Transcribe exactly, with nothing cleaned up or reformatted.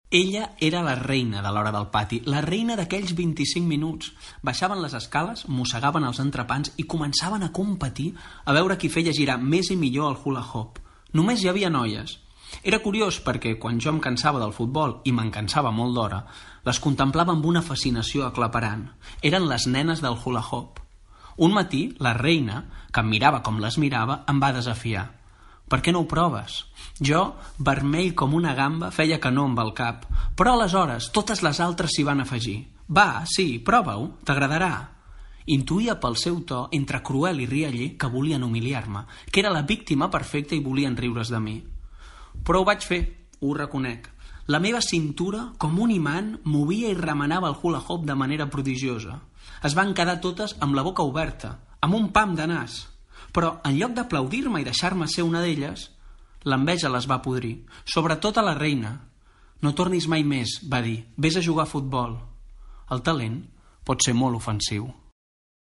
Ella era la reina de l'hora del pati, la reina d'aquells vint-i-cinc minuts. Baixaven les escales, mossegaven els entrepans i començaven a competir a veure qui feia girar més i millor el hula hoop. Només hi havia noies. Era curiós perquè quan jo em cansava del futbol, i me'n cansava molt d'hora, les contemplava amb una fascinació aclaparant. Eren les nenes del hula hoop. Un matí, la reina, que em mirava com les mirava, em va desafiar. Per què no ho proves? Jo, vermell com una gamba, feia que no amb el cap. Però aleshores totes les altres s'hi van afegir. Va, sí, prova-ho, t'agradarà. Intuïa pel seu to, entre cruel i rialler, que volien humiliar-me, que era la víctima perfecta i volien riure's de mi. Però ho vaig fer, ho reconec. La meva cintura, com un imant, movia i remenava el hula hoop de manera prodigiosa. Es van quedar totes amb la boca oberta, amb un pam de nas. Però, en lloc d'aplaudir-me i deixar-me ser una d'elles, l'enveja les va podrir, sobretot a la reina. No tornis mai més, va dir, vés a jugar a futbol. El talent pot ser molt ofensiu.